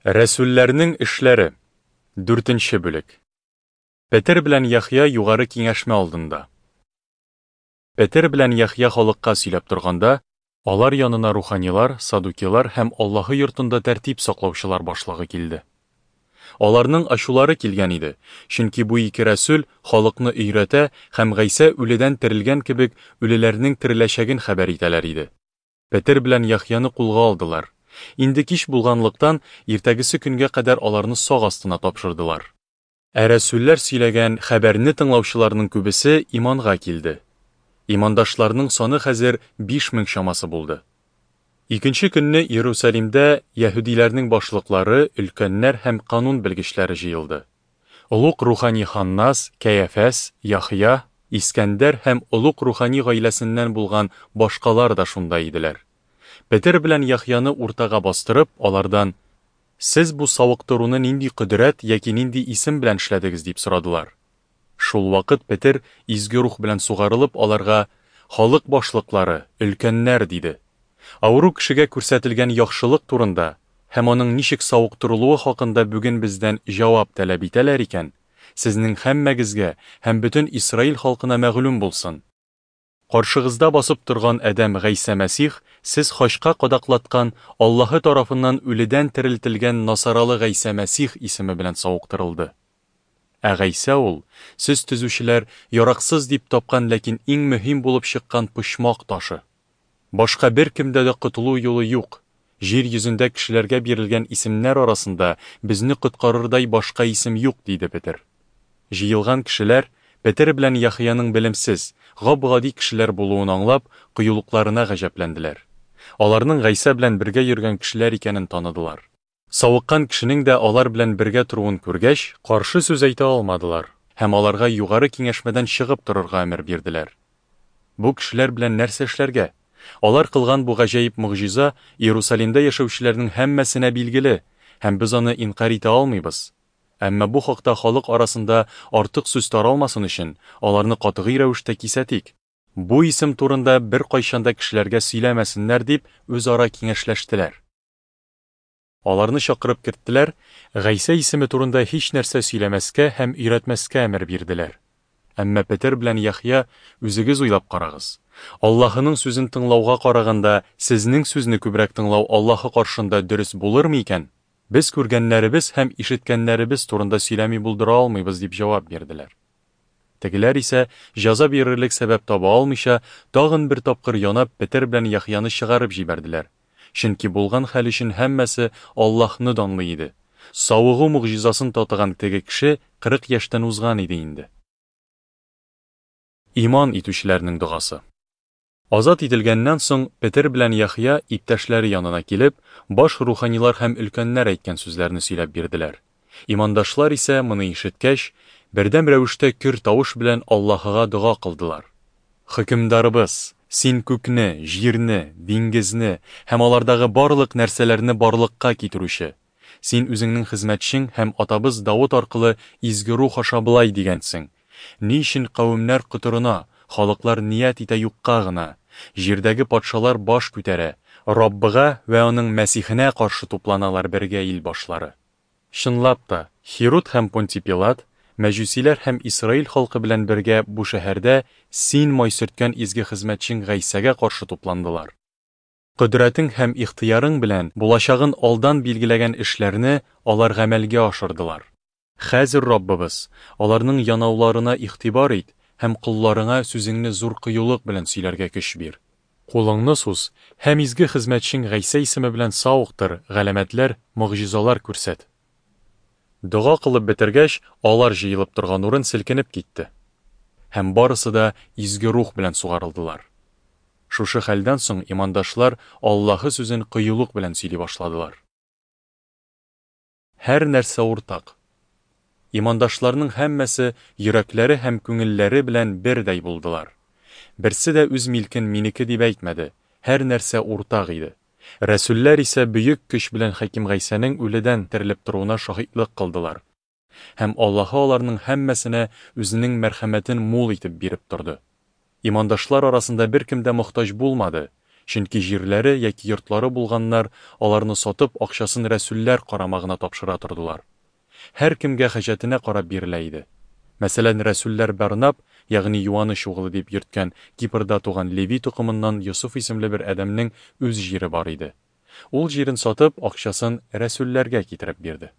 Рәсүлләрнең эшләре. Дүртенче бүлек. Петер белән Яхъя югары киңәшмә алдында. Петер белән Яхъя халыкка сөйләп торганда, алар янына руханилар, садукилар һәм Аллаһы йортында тәртип саклаучылар башлыгы килде. Аларның ачулары килгән иде, чөнки бу ике рәсүл халыкны өйрәтә һәм Гайсә үледән терелгән кебек үлеләрнең тереләчәген хәбәр итәләр иде. Петер белән Яхъяны кулга алдылар. Инде кич булганлыктан, иртәгесе көнгә кадәр аларны сак астына тапшырдылар. Ә рәсүлләр сөйләгән хәбәрне тыңлаучыларның күбесе иманга килде. Имандашларның саны хәзер 5000 чамасы булды. Икенче көнне Иерусалимдә яһүдиләрнең башлыклары, өлкәннәр һәм канун белгечләре җыелды. Олуг рухани Ханнас, Кәяфәс, Яхъя, Искәндәр һәм олуг рухани гаиләсеннән булган башкалар да шунда иделәр. Петер белән Яхъяны уртага бастырып, алардан, Сез бу савыктыруны нинди кодрәт яки нинди исем белән эшләдегез? дип сорадылар. Шул вакыт Петер, Изге Рух белән сугарылып, аларга, Халык башлыклары, өлкәннәр, диде. Авыру кешегә күрсәтелгән яхшылык турында һәм аның ничек савыктырылуы хакында бүген бездән җавап таләп итәләр икән, сезнең һәммәгезгә һәм бөтен Исраил халкына мәгълүм булсын, каршыгызда басып торган адәм Гайсә Мәсих, сез хачка кадаклаткан, Аллаһы тарафыннан үледән терелтелгән Насаралы Гайсә Мәсих исеме белән савыктырылды. Ә Гайсә ул, сез төзүчеләр яраксыз дип тапкан, ләкин иң мөһим булып чыккан почмак ташы. Башка беркемдә дә котылу юлы юк. Җир йөзендә кешеләргә бирелгән исемнәр арасында безне коткарырдай башка исем юк, диде Петер. Җыелган кешеләр, Петер белән Яхъяның белемсез, гап-гади кешеләр булуын аңлап, кыюлыкларына гаҗәпләнделәр. Аларның Гайсә белән бергә йөргән кешеләр икәнен таныдылар. Савыккан кешенең дә алар белән бергә торуын күргәч, каршы сүз әйтә алмадылар һәм аларга югары киңәшмәдән чыгып торырга әмер бирделәр. Бу кешеләр белән нәрсә эшләргә? Алар кылган бу гаҗәеп могҗиза Иерусалимда яшәүчеләрнең һәммәсенә билгеле, һәм без аны инкарь итә алмыйбыз. Әмма бу хакта халык арасында артык сүз таралмасын өчен, аларны катгый рәвештә кисәтик. Бу исем турында беркайчан да кешеләргә сөйләмәсеннәр, дип, үзара киңәшләштеләр. Аларны чакырып керттеләр, Гайсә исеме турында һичнәрсә сөйләмәскә һәм өйрәтмәскә әмер бирделәр. Әмма Петер белән Яхъя, Үзегез уйлап карагыз. Аллаһының сүзен тыңлауга караганда, сезнең сүзне күбрәк тыңлау Аллаһы каршында дөрес булырмы икән? Без күргәннәребез һәм ишеткәннәребез турында сөйләми булдыра алмыйбыз, дип җавап бирделәр. Тегеләр исә, җәза бирерлек сәбәп таба алмыйча, тагын бер тапкыр янап, Петер белән Яхъяны чыгарып җибәрделәр. Чөнки булган хәл өчен һәммәсе Аллаһны данлый иде. Савыгу могҗизасын татыган теге кеше 40 яшьтән узган иде инде. Иман итүчеләрнең догасы. Азат ителгәннән соң, Петер белән Яхъя, иптәшләре янына килеп, баш руханилар һәм өлкәннәр әйткән сүзләрне сөйләп бирделәр. Имандашлар исә, моны ишеткәч, бердәм рәвештә көр тавыш белән Аллаһыга дога кылдылар. Хөкемдарыбыз, Син күкне, җирне, диңгезне һәм алардагы барлык нәрсәләрне барлыкка китерүче. Син Үзеңнең хезмәтчең һәм атабыз Давыт аркылы Изге Рух аша болай дигәнсең, Ни өчен кавемнәр котырына, халыклар ният итә юкка гына? Җирдәге патшалар баш күтәрә, Раббыга вә Аның Мәсихенә каршы тупланалар бергә ил башлары. Чынлап та, Һируд һәм Понтий Пилат, мәҗүсиләр һәм Исраил халкы белән бергә бу шәһәрдә Син май сөрткән изге хезмәтчең Гайсәгә каршы тупландылар. Кодрәтең һәм ихтыярың белән булачагын алдан билгеләгән эшләрне алар гамәлгә ашырдылар. Хәзер, Раббыбыз, аларның янауларына игътибар ит һәм колларыңа сүзеңне зур кыюлык белән сөйләргә көч бир. Кулыңны суз һәм изге хезмәтчең Гайсә исеме белән савыктыр, галәмәтләр, могҗизалар күрсәт. Дога кылып бетергәч, алар җыелып торган урын селкенеп китте. Һәм барысы да Изге Рух белән сугарылдылар. Шушы хәлдән соң имандашлар Аллаһы сүзен кыюлык белән сөйли башладылар. Һәр нәрсә уртак. Имандашларның һәммәсе йөрәкләре һәм күңелләре белән бердәй булдылар. Берсе дә үз милкен минеке дип әйтмәде, һәр нәрсә уртак иде. Рәсүлләр исә бөек көч белән Хәким Гайсәнең үледән терелеп торуына шаһитлык кылдылар. Һәм Аллаһы аларның һәммәсенә Үзенең мәрхәмәтен мул итеп биреп торды. Имандашлар арасында беркем дә мохтаҗ булмады, Чөнки җирләре яки йортлары булганнар, аларны сатып, акчасын рәсүлләр карамагына тапшыра тордылар. Һәркемгә хаҗәтенә карап бирелә иде. Мәсәлән, рәсүлләр Барнаб, ягъни Юаныч угылы дип йөрткән Кипрда туган Леви токымыннан Йосыф исемле бер адәмнең үз җире бар иде. Ул җирен сатып, акчасын рәсүлләргә китереп бирде.